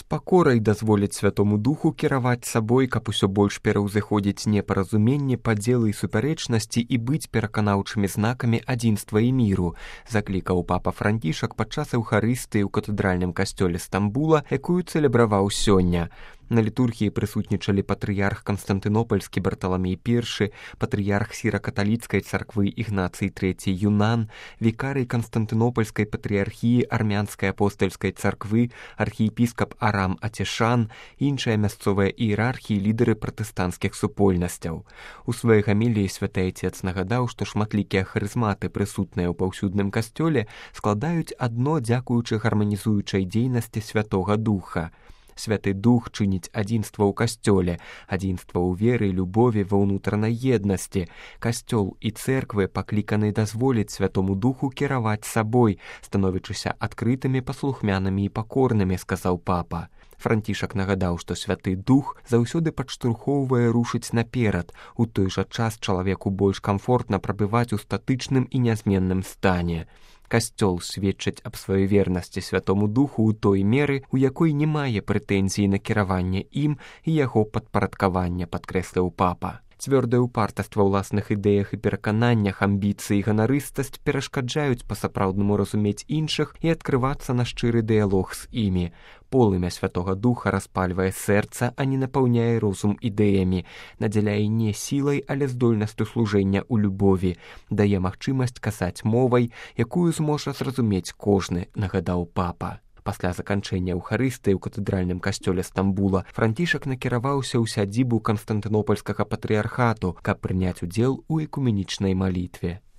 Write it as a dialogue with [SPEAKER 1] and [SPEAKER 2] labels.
[SPEAKER 1] пакорай дазволіць Святому Духу кіраваць сабой, каб усё больш пераўзыходзіць непаразуменне, падзелы і супярэчнасці і быць пераканаўчымі знакамі адзінства і міру, заклікаў папа Францішак падчас эўхарыстыі ў катэдральным касцёле Стамбула, якую цэлебраваў сёння. На літургіі прысутнічалі патрыярх Канстантынопольскі Барталамей I, патрыярх сіра-каталіцкай царквы Ігнацый III Юнан, вікарый Канстантынопольскай патрыярхіі армянскай апостальскай царквы, архіепіскап Арам Атешан, іншыя мясцовыя іерархіі, лідары пратэстанцкіх супольнасцяў. У сваёй гаміліі святы Айцец нагадаў, што шматлікія харызматы, прысутныя ў паўсюдным касцёле, складаюць адно дзякуючы гарманізуючай дзейнасці Святога Духа. Святы Дух чыніць адзінства ў касцёле, адзінства ў веры, любові, ва ўнутранай еднасці. Касцёл і цэрквы пакліканы дазволіць Святому Духу кіраваць сабой, становячыся адкрытымі, паслухмянымі і пакорнымі, сказаў папа. Францішак нагадаў, што Святы Дух заўсёды падштурхоўвае рушыць наперад, у той жа час чалавеку больш камфортна прабываць у статычным і нязменным стане. Касцёл сведчыць аб сваёй вернасці Святому Духу ў той меры, у якой не мае прэтэнзій на кіраванне ім і яго падпарадкавання, падкрэсліў папа. Цвёрдае ўпартаства ўласных ідэях і перакананнях, амбіцыі і ганарыстасць перашкаджаюць па-сапраўднаму разумець іншых і адкрывацца на шчыры дыялог з імі. Полымя Святога Духа распальвае сэрца, а не напаўняе розум ідэямі, надзяляе не сілай, але здольнасцю служэння ў любові, дае магчымасць казаць мовай, якую зможа зразумець кожны, нагадаў папа. Пасля заканчэння эўхарыстыі ў катэдральным касцёле Стамбула Францішак накіраваўся ў сядзібу Канстантынопольскага патрыярхату, каб прыняць удзел у экуменічнай малітве.